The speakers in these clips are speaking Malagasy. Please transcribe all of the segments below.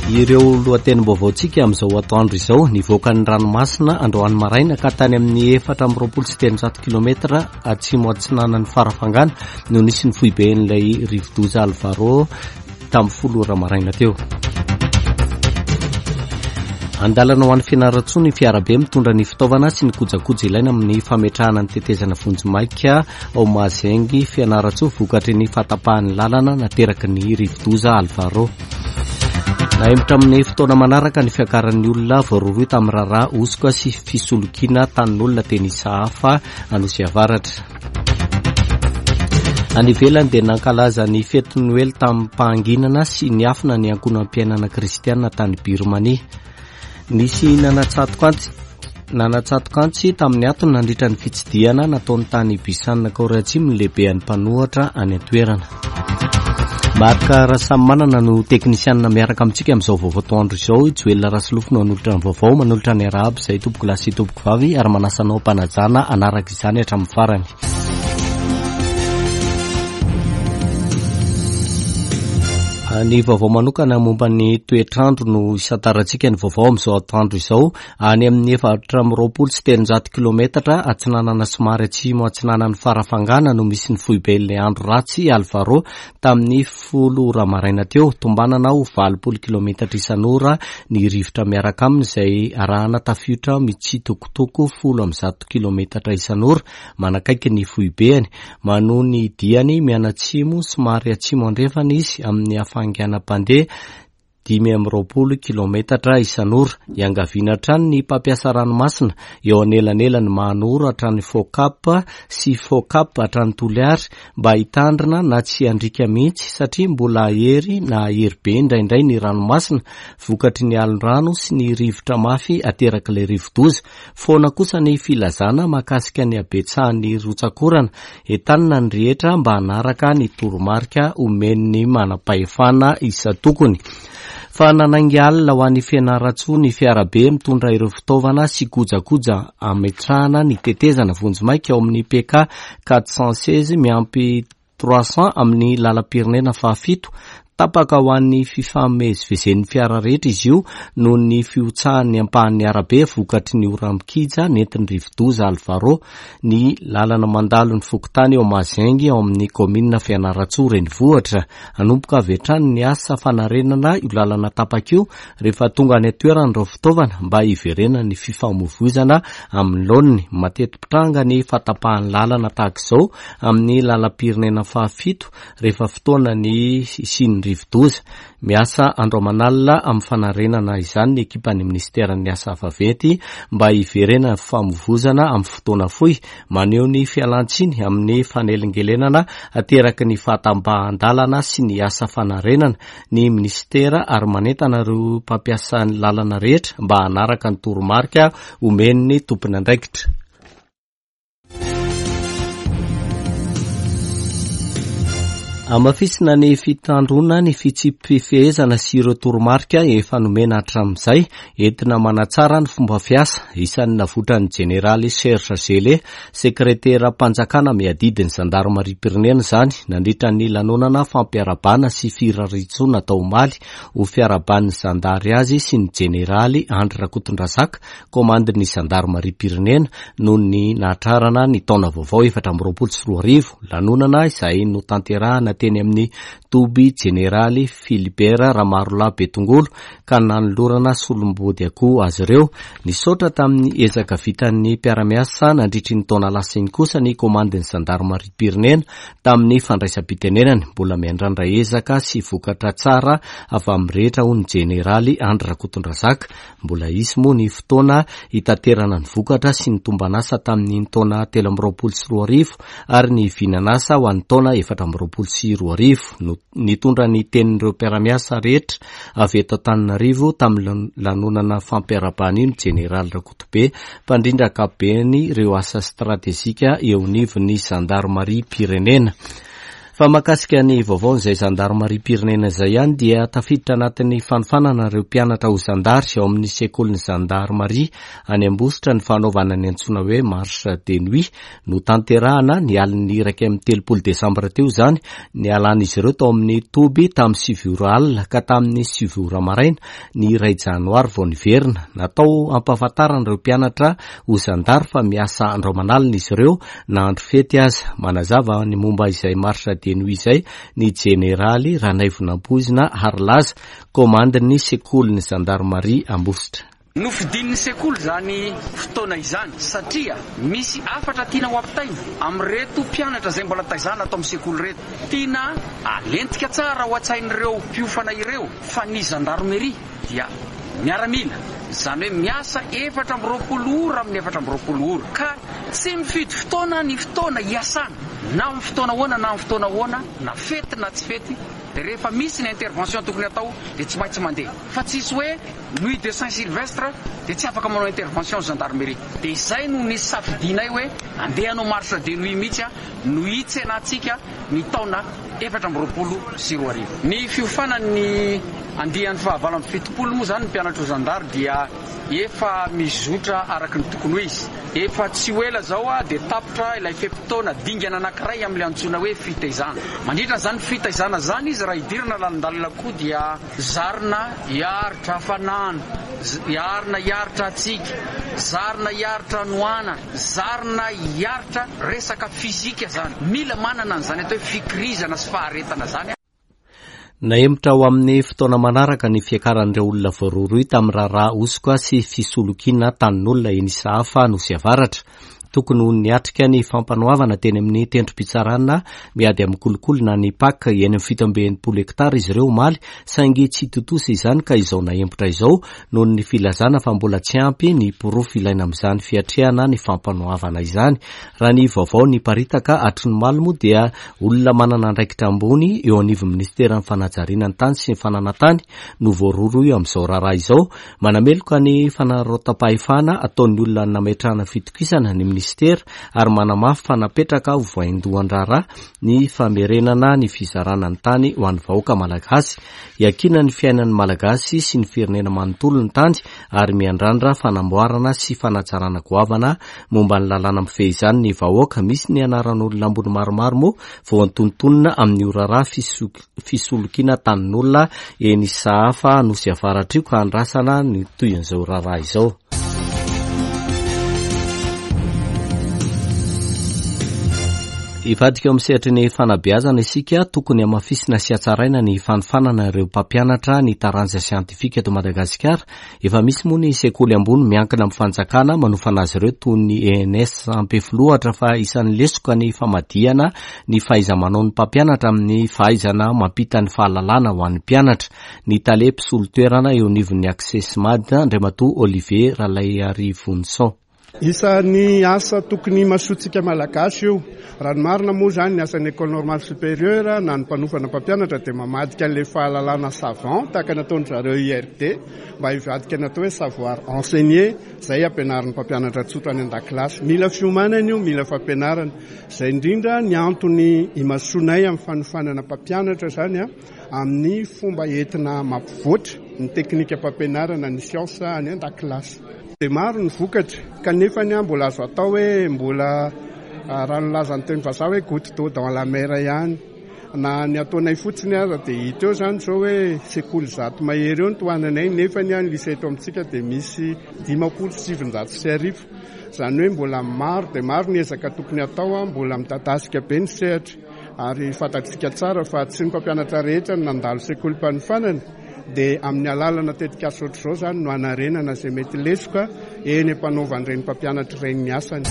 Ireo lohatenim-baovaontsika amin'izao atoandro izao, nivoaka ny ranomasina androany maraina ka tany amin'ny 324 kilometatra atsimo atsinanan'ny Farafangana no nisy ny foiben'ilay rivodoza Alvaro tamin'ny folo ora maraina teo. Andalana ho an'ny Fianarantsoa ny fiarabe mitondra ny fitaovana sy ny kojakoja ilaina amin'ny fametrahana ny tetezana vonjimaika ao Mazengy Fianarantsoa vokatry ny fahatapahan'ny lalana nateraky ny rivodoza Alvaro. Nahemotra amin'ny fotoana manaraka ny fiakaran'ny olona voarohirohy tamin'ny raharaha hosoka sy fisolokiana tanin'olona teny Isahafa Anosy Avaratra. Any ivelany dia nankalaza ny fetin'ny Noely tamim-pahanginana sy niafina ny ankohonam-piainana kristiana tany Birmania. Nisy nanatsatoka nanatsatoka antsy tamin'ny atony nandritra ny fitsidihana nataony tany Busan, Korea Atsimo ny lehibean'ny mpanohatra any an-toerana. Marc Rasamimanana no teknisianina miaraka amintsika amin'izao vaovao atoandro izao. Joel Rasolofo no hanolotra ny vaovao, manolotra ny arahaba izay tompoko lahy sy tompoko vavy ary manasa anao am-panajana hanaraka izany hatramin'ny farany. Ny vaovao manokana momba ny toetr'andro no isantarantsika ny vaovao amin'izao atoandro izao. Any amin'ny 324 kilometatra atsinanana somary atsimo atsinanan'ny Farafangana no misy ny foiben'ilay andro ratsy Alvaro tamin'ny folo ora maraina teo. Tombanana ho 80 kilometatra isan'ora ny rivotra miaraka aminy izay arahana tafiotra mitsitokotoko 110 kilometatra isan'ora manakaiky ny foibeny. Manohy ny diany mianatsimo somary atsimo andrefana izy amin'ny hafainganam-pandeha 25 kilometatra isan'ora. Iangaviana hatrany ny mpampiasa ranomasina eo anelanelan'i Mahanoro hatrany Focap sy Focap hatrany Toliary mba hitandrina na tsy handriaka mihitsy satria mbola hahery na hahery be indraindray ny ranomasina vokatry ny alon-drano sy ny rivotra mafy aterak'ilay rivodoza. Foana kosa ny filazana mahakasika ny habetsahan'ny rotsak'orana. Entanina ny rehetra mba hanaraka ny toromarika omen'ny manam-pahefana isan-tokony. Fa nanainga alina ho any Fianarantsoa ny fiarabe mitondra ireo fitaovana sy kojakoja ametrahana ny tetezana vonjimaika ao amin'ny PK 416 miampy 300 amin'ny lalam-pirenena fahafito. Tapaka ho an'ny fifamezivezen'ny fiara rehetra izy io noho ny fihotsahan'ny ampahan'ny arabe vokatry ny oram-kija nentin'ny rivodoza Alvaro ny lalana mandalo ny fokontany ao Mazengy ao amin'ny kaominina Fianarantsoa renivohitra. Hanomboka avy hatrany ny asa fanarenana io lalana tapaka io rehefa tonga any an-toerana ireo fitaovana mba hiverenan'ny fifamoivoizana amin'ny laoniny. Mateti-pitranga ny fahatapahan'ny lalana tahaka izao amin'ny lalam-pirenena fahafito rehefa fotoana ny hisian'ny rivodoza. Miasa andro aman'alina amin'ny fanarenana izany ny ekipan'ny minisiteran'ny Asa vaventy mba hiverenan'ny fifamoivozana amin'ny fotoana fohy. Maneho ny fialan-tsiny amin'ny fanelingelenana ateraky ny fahatapahan-dalana sy ny asa fanarenana ny minisitera ary manentana ireo mpampiasa ny lalana rehetra mba hanaraka ny toromarika omen'ny tompon'andraikitra. Hamafisina ny fitandroana ny fitsipi-pifehezana sy ireo toromarika efa nomena hatramin'izay entina manatsara ny fomba fiasa. Isan'ny navotran'ny jeneraly Serge Gellé, sekreteram-panjakana miadidy ny zandarimariam-pirenena izany nandritra ny lanonana fampiarahabana sy firariantsoa natao omaly ho fiarahaban'ny zandary azy sy ny jeneraly Andry Rakotondrazaka Komandin'ny zandarimariam-pirenena noho ny nahatrarana ny taona vaovao 2024, lanonana izay notanterahana teny amin'ny toby jeneraly Philibert Ramarolahy Betongolo ka nanolorana solombody akoho azy ireo. Nisaotra tamin'ny ezaka vitan'ny mpiara-miasa nandritry ny taona lasa iny kosa ny komandin'ny zandarimariam-pirenena tamin'ny fandraisam-pitenenany. Mbola miandrandra ezaka sy vokatra tsara avy amin'ny rehetra hoy ny jeneraly Andry Rakotondrazaka. Mbola hisy moa ny fotoana hitaterana ny vokatra sy ny tomban'asa tamin'iny taona 2023 ary ny vinan'asa ho an'ny taona 2024. Nitondra ny tenin'ireo mpiara-miasa rehetra avy eto Antananarivo tamin'ny lanonana fampiarahabana io ny Jeneraly Rakotobe, mpandrindra ankapobeny ireo asa stratejika eo anivon'ny zandarimariam-pirenena. Fa mahakasika ny vaovaon'izay zandarimariam-pirenena izay ihany dia tafiditra anatin'ny fanofanana ireo mpianatra ho zandary ao amin'ny sekolin'ny zandarimaria any Ambositra ny fanaovana ny antsoina hoe marche de nuit. Notanterahana ny alin'ny 31 desambra teo izany nialan'izy ireo tao amin'ny toby tamin'ny 9 ora alina ka tamin'ny 9 ora maraina ny iray janoary vao niverina. Natao hampahafantarana ireo mpianatra ho zandary fa miasa andro aman'alina izy ireo na andro fety aza. Manazava ny momba izay marche de nuit izay ny jeneraly Ranaivonampoizina Harilaza, komandin'ny sekolin'ny zandarimaria Ambositra. Nofidin'ny sekoly izany fotoana izany satria misy hafatra tiana ho ampitaina amin'ireto mpianatra izay mbola taizana ato amin'ny sekoly ireto. Tiana halentika tsara ao an-tsain'ireo mpiofana ireo fa ny zandarmeria dia miaramila, izany hoe miasa 24 ora amin'ny 24 ora, ka tsy mifidy fotoana ny fotoana hiasana, na amin'ny fotoana ahoana na amin'ny fotoana ahoana, na fety na tsy fety, dia rehefa misy ny intervention tokony hatao dia tsy maintsy mandeha, fa tsisy hoe nuit de Saint Sylvestre dia tsy afaka manao intervention ny gendarmerie. Dia izay no nisafidianay hoe andeha hanao marche de nuit mihitsy no hitsenantsika ny taona 2024. Ny fiofanan'ny andiany faha 78 moa izany ny mpianatra ho zandary dia efa mizotra araka ny tokony ho izy. Efa tsy ho ela izao dia tapitra ilay fe-potoana dingana anankiray amin'ilay antsoina hoe fitaizana. Mandritra an'izany fitaizana izany izy raha hidirana lalindalina koa dia zarina hiaritra hafanana, zarina hiaritra hatsiaka, zarina hiaritra hanoanana. Zarina hiaritra resaka fizika zany. Mila manana an'izany atao hoe fikirizana sy faharetana zany. Nahemotra ho amin'ny fotoana manaraka ny fiakaran'ireo olona voarohirohy tamin'ny raharaha hosoka sy fisolokiana tanin'olona eny Isahafa Nosy Avaratra. Tokony ho niatrika ny fampanoavana teny amin'ny tendrom-pitsarana miady amin'ny kolikoly na ny Pac eny amin'ny 67 hektara izy ireo omaly saingy tsy tontosa izany ka izao nahemotra izao noho ny filazana fa mbola tsy ampy ny porofo ilaina amin'izany fiatrehana ny fampanoavana izany. Raha ny vaovao niparitaka hatry ny omaly moa dia olona manana andraikitra ambony eo anivon'ny minisiteran'ny fanajariana ny tany sy ny fananantany no voarohirohy amin'izao raharaha izao. Manameloka ny fanararaotam-pahefana ataon'ny olona nametrahana fitokisana ny minisitera ary manamafy fa napetraka ho vaindohan-draharaha ny famerenana ny fizarana ny tany ho an'ny vahoaka malagasy. Iankinan'ny ny fiainan'ny Malagasy sy ny firenena manontolo ny tany ary miandrandra fanamboarana sy fanatsarana goavana momba ny lalàna mifehy izany ny vahoaka. Misy ny anaran'olona ambony maromaro moa voantonontonona amin'io raharaha fisolokiana tanin'olona eny Sahafa Nosy Avaratra io ka andrasana ny tohin'izao raharaha izao. Hivadika eo amin'ny sehatry ny fanabeazana isika, tokony hamafisina sy hatsaraina ny fanofanana ireo mpampianatra ny taranja siantifika eto Madagasikara. Efa misy moa ny sekoly ambony miankina amin'ny fanjakana manofana azy ireo toy ny ENS Ampefiloha ohatra fa isan'ny lesoka ny famadihana ny fahaiza-manaon'ny mpampianatra amin'ny fahaizana mampita ny fahalalana ho an'ny mpianatra. Ny tale mpisolo toerana eo anivon'ny Accessmad, Andriamatoa Olivier Ralaiarivonison. Isan'ny asa tokony himasoantsika Malagasy io. Raha ny marina moa izany ny asan'ny Ecole Normale Supérieure na ny mpanofana mpampianatra dia mamadika an'ilay fahalalana savant tahaka ny ataon-dry zareo IRD mba hivadika ny atao hoe savoir enseigner izay ampianarin'ny mpampianatra tsotra any an-dakilasy. Mila fiomanana io, mila fampianarana. Izay indrindra ny antony imasoanay amin'ny fanofanana mpampianatra izany. amin'ny fomba entina mampivoatra ny teknikam-pampianarana ny siansa any an-dakilasy. Dia maro ny vokatra kanefa ny mbola azo atao hoe mbola raha ny lazan'ny teny vazaha hoe goutte d'eau dans la mer ihany. Na ny ataonay fotsiny aza dia hita eo izany izao hoe sekoly 100 mahery eo no tohananay nefa ny lycée eto amintsika dia misy 1950. Izany hoe mbola maro dia maro ny ezaka tokony hatao, mbola midadasika be ny sehatra. Ary fantatsika tsara fa tsy ny mpampianatra rehetra no nandalo sekolim-panofanana, dia amin'ny alalana tetikasa ohatr'izao izany no hanarenana izay mety lesoka eny am-panaovan'ireny mpampianatra ireny ny asany.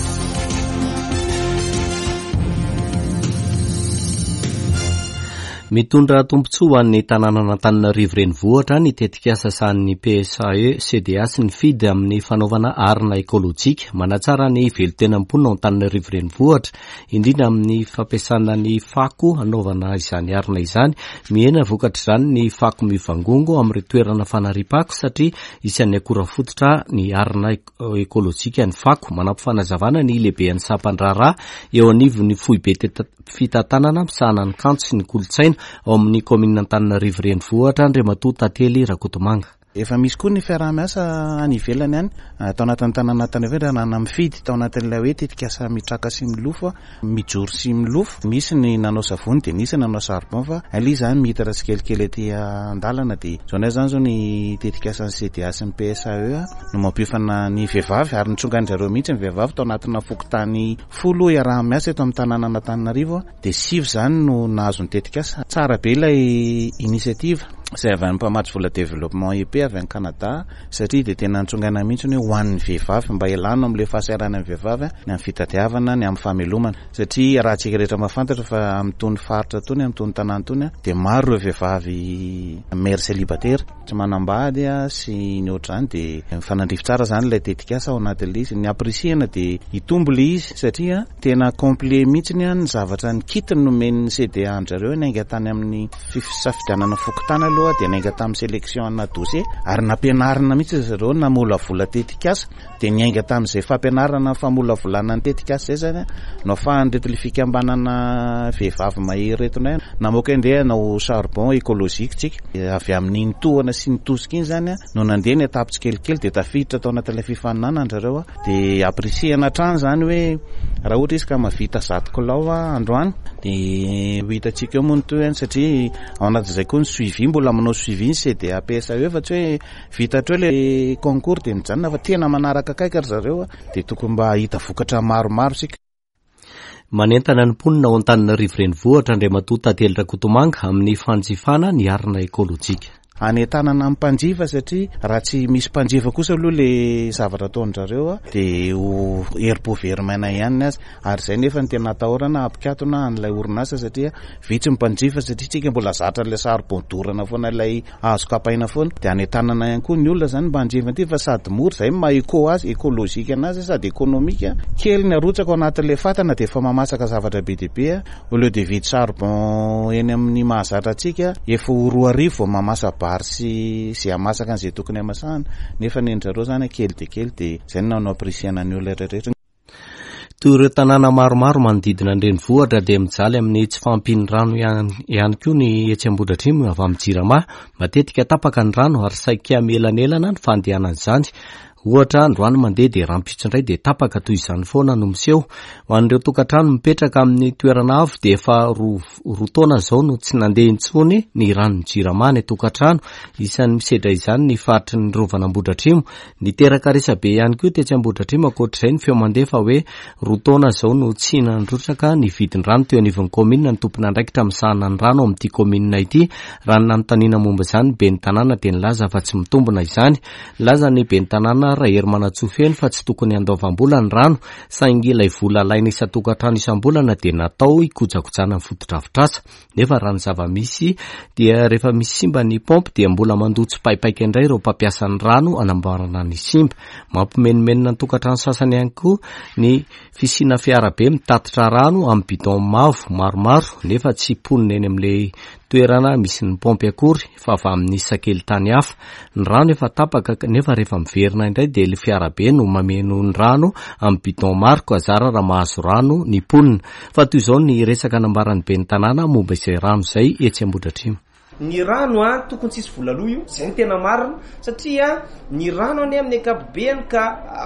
Mitondra tombontsoa ho an'ny tanànan'Antananarivo Renivohitra ny tetikasa sahanin'ny PSAE, CDA sy ny FID amin'ny fanaovana arina ekolojika. Manatsara ny velontenan'ny mponina ao Antananarivo Renivohitra, indrindra amin'ny fampiasana ny fako hanaovana izany arina izany. Mihena vokatr'izany ny fako mivangongo amin'ireo toerana fanariam-pako satria isan'ny akora fototra ny arina ekolojika ny fako. Manampy fanazavana ny lehiben'ny sampan-draharaha eo anivon'ny foibe fitantanana misahana ny kanto sy ny kolontsaina ao amin'ny kaominina Antananarivo Renivohitra, Andriamatoa Tantely Rakotomanga. Efa misy koa ny fiaraha-miasa any ivelany any, tao anatin'ny tanàna Antananarivo raha nana-mifidy tao anatin'ilay hoe tetikasa mitraka sy milofo, mijoro sy milofo. Nisy ny nanao savony dia nisy ny nanao charbon fa ilay izy izany miditra tsikelikely aty an-dalana dia izao indray izany izao ny tetikasan'ny CDA sy ny PSAE no mampiofana ny vehivavy ary nitsongain-dry zareo mihitsy ny vehivavy tao anatina fokontany Folo iaraha-miasa eto amin'ny tanànan'Antananarivo dia sivy izany no nahazo ny tetikasa. Tsara be ilay initiative izay avy amin'ny mpamatsy vola Développement EP avy any Canada satria dia tena nitsongaina mihitsy hoe ho an'ny vehivavy mba hialana amin'ilay fahasahiranan'ny vehivavy ny amin'ny fitadiavana ny amin'ny famelomana satria raha antsika rehetra mahafantatra fa amin'itony faritra itony amin'itony tanàna itony dia maro ireo vehivavy mère célibataire tsy manambady sy ny ohatr'izany dia mifanandrify tsara izany ilay tetikasa ao anatin'ilay izy. Ny ampirisihana dia hitombo ilay izy satria tena complet mihitsy ny zavatra ny kit nomen'ny CDA an-dry zareo niainga tany amin'ny fisafidianana fokontany aloha dia niainga tamin'ny sélection ana dossier ary nampianarina mihitsy ry zareo namolavola tetikasa Dia niainga tamin'izay fampianarana ny famolavolana ny tetikasa izay izany no ahafahan'ireto ilay fikambanana vehivavy mahery ireto indray namoaka hoe ndeha hanao charbon écologique tsika. Avy amin'iny tohana sy ny tosika iny izany no nandeha ny étape tsikelikely dia tafiditra tao anatin'ilay fifaninanana ry zareo. Dia ampirisihana hatrany izany hoe raha ohatra izy ka mahavita 100 kilao androany dia ho hitantsika eo moa ny tohiny satria ao anatin'izay koa ny suivi, mbola manao suivi ny CDA PSAE fa tsy hoe Vita hatreo ilay concours dia mijanona fa tena manaraka akaiky ry zareo a, dia tokony mba hahita vokatra maromaro isika. Manentana ny mponina ao Antananarivo Renivohitra Andriamatoa Tantely Rakotomanga amin'ny fanjifana ny arina ekolojika. Hanentanana ny mpanjifa satria raha tsy misy mpanjifa kosa aloha ilay zavatra ataon-dry zareo a, dia ho herim-po very maina ihany ny azy ary izay nefa no tena atahorana hampikatona an'ilay orinasa satria vitsy ny mpanjifa satria tsika mbola zatra an'ilay saribon dorana foana ilay Azo kapaina foana. Dia anentanana ihany koa ny olona izany mba hanjifa an'ity fa sady mora, izay no maha eco azy, écologique anazy sady économique. Kely ny arotsaka ao anatin'ilay fatana dia efa mamasaka zavatra be dia be. Au lieu de hividy charbon eny amin'ny mahazatra antsika, efa ho 2000 vao mamasa-bary sy izay hamasaka an'izay tokony hamasahana. Nefa ny an-dry zareo izany kely dia kely dia izay no nampirisihana ny olona rehetra. Toy ireo tanàna maromaro manodidina ny renivohitra dia mijaly amin'ny tsy fahampian'ny rano ihany koa ny etsy Ambohidratrimo avy amin'ny Jirama. Matetika tapaka ny rano ary saika mielanelana ny fandehanan'izany. Ohatra, androany mandeha dia rahampitso indray dia tapaka, toy izany foana no miseho. Ho an'ireo tokantrano mipetraka amin'ny toerana avo dia efa roa taona izao no tsy nandeha intsony ny ranon'ny Jirama any an-tokantrano. Isan'ny misedra izany ny faritry ny Rovan'Ambohidratrimo. Niteraka resabe ihany koa tetsy Ambohidratrimo ankoatr'izay ny feo mandeha fa hoe roa taona izao no tsy nandrotsaka ny vidin-drano teo anivon'ny kaominina ny tompon'andraikitra misahana ny rano ao amin'ity kaominina ity. Raha ny nanontaniana momba izany ny ben'ny tanàna dia nilaza fa tsy mitombina izany. Nilaza ny ben'ny tanàna Raherimanantsoa Feno fa tsy tokony handoavam-bola ny rano saingy ilay vola alaina isan-tokantrano isam-bolana dia natao hikojakojana ny fotodrafitrasa. Nefa raha ny zava-misy dia rehefa misy simba ny paompy dia mbola mandoa tsipaipaika indray ireo mpampiasa ny rano hanamboarana ny simba. Mampimenomenona ny tokantrano sasany ihany koa ny fisiana fiarabe mitatitra rano amin'ny bidon mavo maromaro nefa tsy mponina eny amin'ilay toerana misy ny paompy akory fa avy amin'ny sakelitany hafa. Ny rano efa tapaka nefa rehefa miverina indray dia ilay fiarabe no mameno ny rano amin'ny bidon maro ka zara raha mahazo rano ny mponina. Fa toy izao ny resaka nambaran'ny ben'ny tanàna momba izay rano izay etsy Ambohidratrimo. Ny rano an, tokony tsisy vola aloa io, zay no tena marina, satria ny rano anie amin'ny ankapobeany ka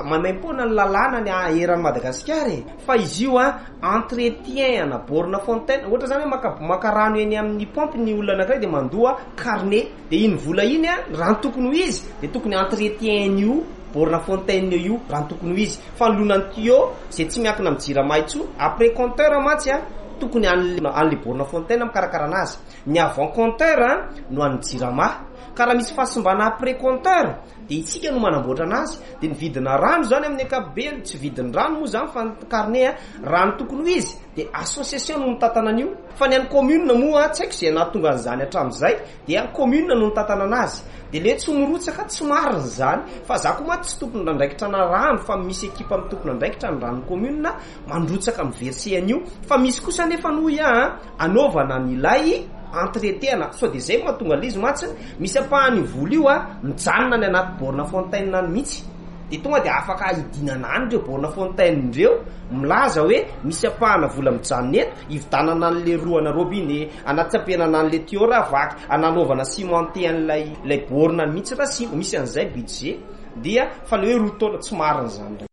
maimaimpoana ny lalàna ny eran'i Madagasikara e, fa izy io an entretien ana borne fontaine, ohatra zany hoe maka maka rano eny amin'ny pompe ny olona anakiray dia mandoa carnet, dia iny vola iny an, raha ny tokony ho izy dia tokony entretien an'io borne fontaine io raha ny tokony ho izy. Fanoloana ny tuyau izay tsy miankina amin'ny jirama intsony, après compteur mantsy an, tokony an'le an'le borne fontaine mikarakara anazy, ny avant compteur no an'ny jirama. Ka raha misy fahasimbana après compteur dia isika no manamboatra anazy. Dia ny vidina rano izany amin'ny ankapobeny, tsy vidin'ny rano moa izany fa ny carnet raha ny tokony ho izy dia association no mitantana an'io. Fa ny an'ny commune moa tsy haiko izay nahatonga an'izany hatramin'izay dia commune no nitantana anazy. Dia le tsy mirotsaka tsy marina izany. Fa za koa mantsy tsy tompon'andraikitra ana rano fa misy ekipa tompon'andraikitra ny ranon'ny commune mandrotsaka mi-verser an'io. Fa misy kosa anefa hoy aho an, anaovana an'ilay entretien-na, sao dia izay no mahatonga an'ilay izy mantsy, misy ampahan'io vola io an, mijanona any anaty borne fontaine any mihitsy. Dia tonga dia afaka hidinana any ireo borne fontaine ireo, milaza hoe misy ampahana vola mijanona eto, hividanana an'ilay roana robinet, anatsampenana an'ilay tuyau raha vaky, ananaovana cimenter an'ilay ilay borne mihitsy raha simba, misy an'izay budget. Dia fa ilay hoe roa taona, tsy marina izany indray.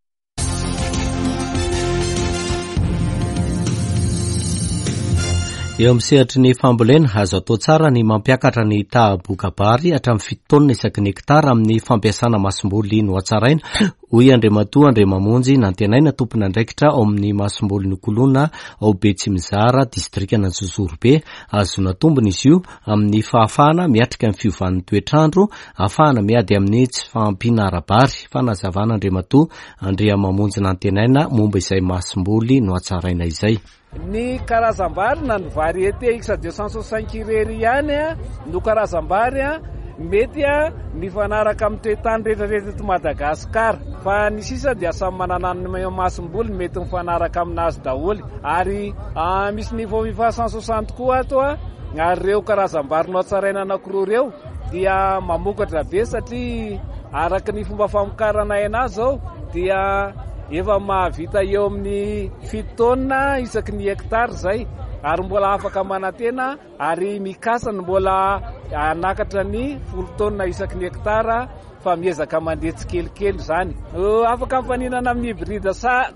Eo amin'ny sehatry ny fambolena, azo atao tsara ny mampiakatra ny taha-boka-bary hatramin'ny fito taonina isaky ny hektara amin'ny fampiasana masomboly nohatsaraina, hoy Andriamatoa Andriamamonjy Nantenaina, tompon'andraikitra ao amin'ny masomboly Nokoloina ao Betsimizara, distrikan'Anjozorobe. Ahazoana tombony izy io amin'ny fahafahana miatrika ny fiovan'ny toetr'andro, ahafahana miady amin'ny tsy fahampiana ara-bary. Fanazavana Andriamatoa Andriamamonjy Nantenaina momba izay masomboly nohatsaraina izay. Ny karazam-bary na ny variété X 265 irery ihany no karazam-bary mety mifanaraka amin'ny toe-tany rehetra rehetra eto Madagasikara fa ny sisa dia samy manana ny masomboly mety mifanaraka aminazy daholo ary misy niveau FIFA 160 koa ato ary ireo karazam-bary nohatsaraina anankiroa ireo dia mamokatra be satria araka ny fomba famokarana aina zao dia efa mahavita eo amin'ny fito taonina isaky ny hectare izay ary mbola afaka manantena ary mikasa ny mbola hanakatra ny folo taonina isaky ny hectare fa miezaka mandeha tsikelikely izany. Afaka mifaninana amin'ny hybride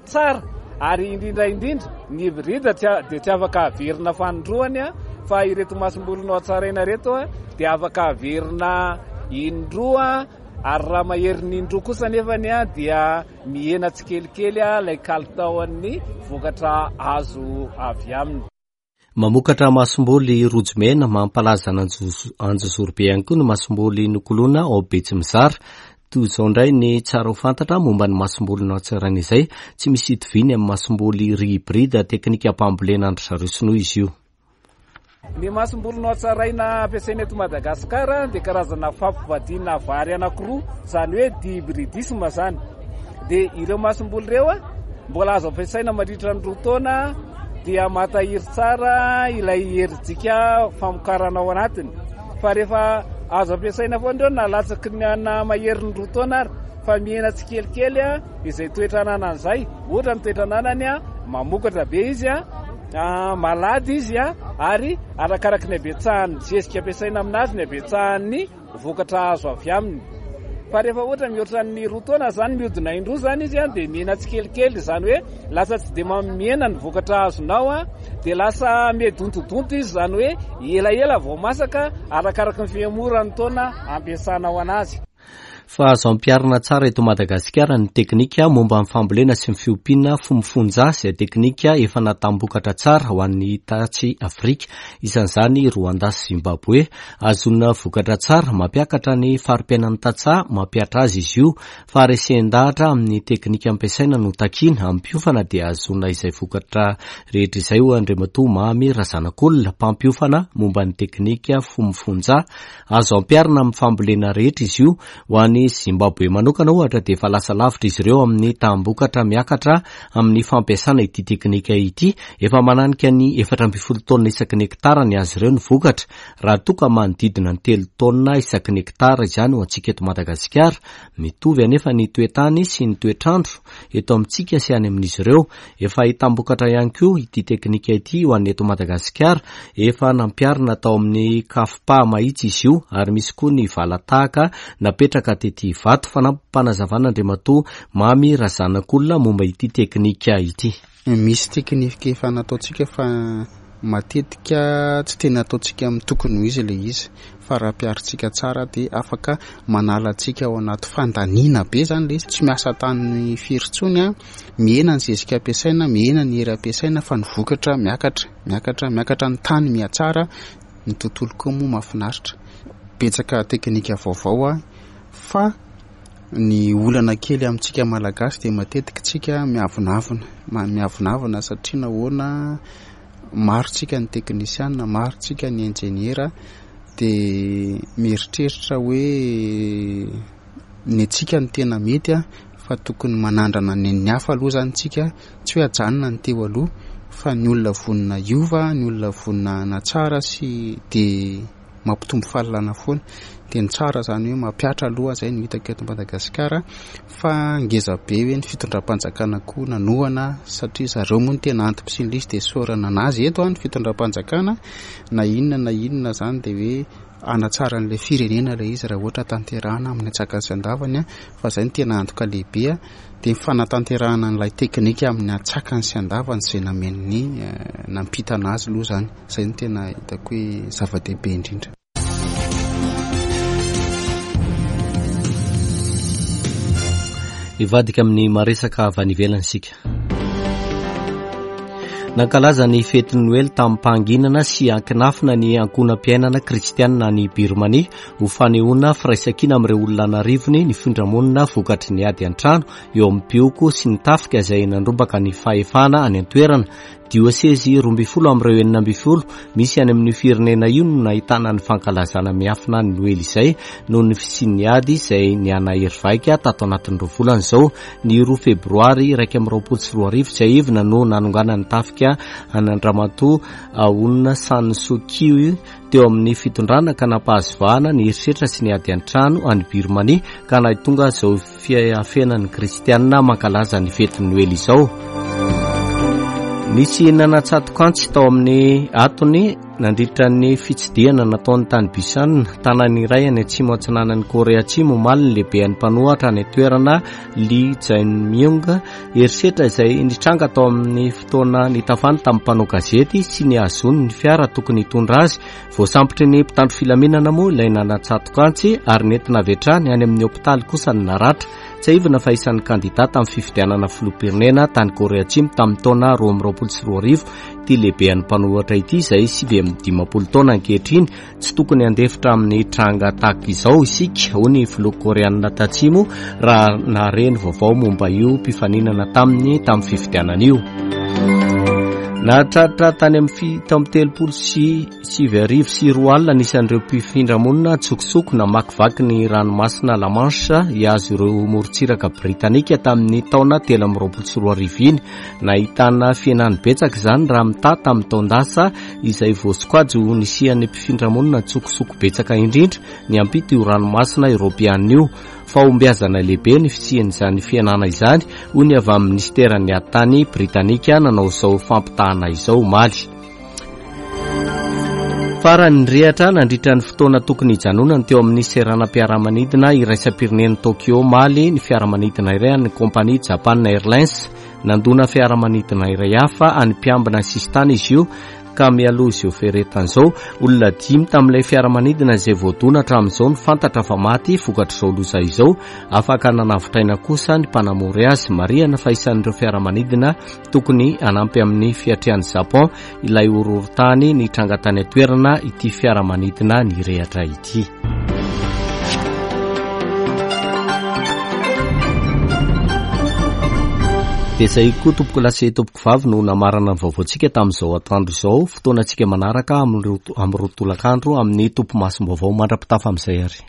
tsara ary indrindra indrindra ny hybride dia tsy afaka averina fanindroany fa ireto masomboly nohatsaraina ireto dia afaka averina indroa ary raha maherin'ny indroa kosa nefany dia mihena tsikelikely ilay kalitaon'ny vokatra azo avy aminy. Mamokatra masomboly rojo mena mampalaza an'Anjozorobe ihany koa ny masomboly nokoloina ao Betsimizara. Toy izao indray ny tsara ho fantatra momba ny masomboly nohatsaraina izay, tsy misy itoviany amin'ny masomboly riz hybride teknikam-pambolena an-dry zareo sinoa izy io. Ny masomboly nohatsaraina ampiasaina eto Madagasikara dia karazana fampivadiana vary anankiroa, izany hoe dihybridisme izany. Dia ireo masomboly ireo mbola azo ampiasaina mandritra ny roa taona dia mahatahiry tsara ilay herijika famokarana ao anatiny. Fa rehefa azo ampiasaina foana ireo na latsaky ny na maherin'ny roa taona ary fa mihena tsikelikely izay toetra ananany izay. Ohatra ny toetra ananany mamokatra be izy, malady izy ary arakaraky ny habetsahan'ny zezika ampiasaina aminazy ny habetsahan'ny vokatra azo avy aminy. Fa rehefa ohatra mihoatra ny roa taona izany mihodina indroa izany izy dia mihena tsikelikely, izany hoe lasa tsy dia mihena ny vokatra azonao dia lasa mihadontodonto izy, izany hoe elaela vao masaka arakaraky ny fihemoran'ny taona ampiasanao anazy. Fa azo ampiharina tsara eto Madagasikara ny teknika momba ny fambolena sy ny fiompiana fomifonja izay teknika efa natam-bokatra tsara ho an'ny tatsy Afrika, isan'izany Rwanda sy Zimbabwe. Ahazoana vokatra tsara, mampiakatra ny fari-piainan'ny tantsaha mampihatra azy izy io. Faharesen-dahatra amin'ny teknika ampiasaina no takiana. Ampiofana dia ahazoana izay vokatra rehetra izay, hoy Andriamatoa Mamy Razanakolona, mpampiofana momba ny teknika fomifonja. Azo ampiharina amin'ny fambolena rehetra izy io. Ho an'i Zimbabwe manokana ohatra dia efa lasa lavitra izy ireo amin'ny taham-bokatra miakatra amin'ny fampiasana ity teknika ity. Efa mananika ny 14 taonina isaky ny hektara ny azy ireo ny vokatra, raha toa ka manodidina ny telo taonina isaky ny hektara izany ho antsika eto Madagasikara. Mitovy anefa ny toe-tany sy ny toetr'andro eto amintsika sy any amin'izy ireo. Efa ahitam-bokatra ihany koa ity teknika ity ho an'ny eto Madagasikara. Efa nampiharina tao amin'ny CAFPA Mahitsy izy io ary misy koa ny vala-tahaka napetraka tety Ivato. Fanampim-panazavana Andriamatoa Mamy Razanakolona momba ity teknika ity. Misy teknika efa nataontsika fa matetika tsy tena ataontsika amin'ny tokony ho izy ilay izy fa raha ampiharintsika tsara dia afaka manala antsika ao anaty fandaniana be izany ilay izy, tsy miasa tany firy intsony an, mihena ny zezika ampiasaina, mihena ny hery ampiasaina fa ny vokatra miakatra, miakatra, miakatra, ny tany mihatsara, ny tontolo koa moa mahafinaritra. Betsaka teknika vaovao fa ny olana kely amintsika Malagasy dia matetika tsika miavonavona, miavonavona satria nahoana maro tsika ny teknisiana, maro tsika ny injeniera dia mieritreritra hoe ny antsika no tena mety fa tokony manandrana ny an'ny hafa aloha izany tsika, tsy hoe ajanona ny teo aloha fa ny olona vonona hiova, ny olona vonona hanatsara sy dia mampitombo fahalalana foana. Dia ny tsara izany hoe mampihatra aloha izay no hitako eto Madagasikara fa ngeza be hoe ny fitondram-panjakana koa nanohana satria zareo moa no tena antom-pisian'ilay izy dia isaorana an'azy eto ny fitondram-panjakana na inona na inona izany dia hoe hanatsara an'ilay firenena ilay izy raha ohatra tanterahana amin'ny antsakany sy andavany fa izay no tena antoka lehibe dia ny fanatanterahana an'ilay teknika amin'ny antsakany sy andavany izay namen'ny nampitana azy aloha izany. Izay no tena hitako hoe zava-dehibe indrindra. Hivadika amin'ny maresaka avy any ivelany isika. Nankalaza ny fetin'ny Noely tamim-pahanginana sy ankinafina ny ankohonam-piainana kristianina any Birmania ho fanehoana firaisankina amin'ireo olona an'arivony nifindra monina vokatry ny ady an-trano eo amin'ny mpihoko sy ny tafika izay nandrombaka ny fahefana any an-toerana. Diosezy 12 amin'ireo 16 misy any amin'io firenena io no nahitana ny fankalazana miafina ny Noely izay noho ny fisian'ny ady izay nihanahery vaika tato anatin'ny roa volana izao. Ny roa febroary 2021 tsiahivina no nanonganan'ny tafika an'Andriamatoa Aung San Suu Kyi teo amin'ny fitondrana ka nampahazo vahana ny herisetra sy ny ady an-trano any Birmanie ka nahatonga izao fiafenan'ny kristianina mankalaza ny fetin'ny Noely izao. Nisy nanatsatokantsy tao amin'ny atony nandritra ny fitsidihana nataony tany Busan, tanàna iray any atsimo atsinanan'i Korea Atsimo omaly ny lehiben'ny mpanohatra any an-toerana Lee Jae-myung. Herisetra izay nitranga tao amin'ny fotoana nitafany tamin'ny mpanao gazety sy ny hahazoany ny fiara tokony hitondra azy Voasambotry ny mpitandro filaminana moa ilay nanatsatoka antsy ary nentina avy hatrany any amin'ny hopitaly kosa ny naratra. Tsiahivina fa isan'ny kandida tamin'ny fifidianana filoham-pirenena tany Korea Atsimo tamin'ny taona 2022 ity lehibean'ny mpanohitra ity izay 59 taona ankehitriny. Tsy tokony handefitra amin'ny tranga tahaka izao isika, hoy ny filoha Koreanina Tatsimo raha nahare ny vaovao momba io mpifaninana taminy tamin'ny fifidianana io. Nahatratra tany amin'ny 2037 anisan'ireo mpifindra monina an-tsokosoko namakivaky ny ranomasina La Manche hihazo ireo morontsiraka britanika tamin'ny taona 2023 iny. Nahitana fihenany betsaka izany raha mitaha tamin'ny taon-dasa izay voasokajy ho nisian'ny mpifindra monina an-tsokosoko betsaka indrindra niampita io ranomasina eoropeanina io. Fahombiazana lehibe ny fisian'izany fihenana izany, hoy ny avy amin'ny minisiteran'ny ady tany Britanika nanao izao fampitahana izao omaly. Farany nirehatra nandritra ny fotoana tokony hijanonany teo amin'ny seranam-piaramanidina iraisam-pirenen'i Tokyo omaly ny fiaramanidina iray an'ny kompania Japan Airlines. Nandona fiaramanidina iray hafa an'ny mpiambina sisintany izy io ka mialoha izao fiaretana izao, olona dimy tamin'ilay fiaramanidina izay voadona hatramin'izao no fantatra fa maty vokatr'izao loza izao. Afaka nanavotra aina kosa ny mpanamory azy. Marihana fa isan'ireo fiaramanidina tokony hanampy amin'ny fiatrehan'i Japon ilay horohorontany nitranga tany an-toerana ity fiaramanidina nirehatra ity. Dia izay koa tompokolahy sy tompokovavy no namarana ny vaovaontsika tamin'izao atoandro izao. Fotoanantsika manaraka amin'ny roa tolakandro amin'ny topimasom-baovao mandra-pitafa amin'izay ary.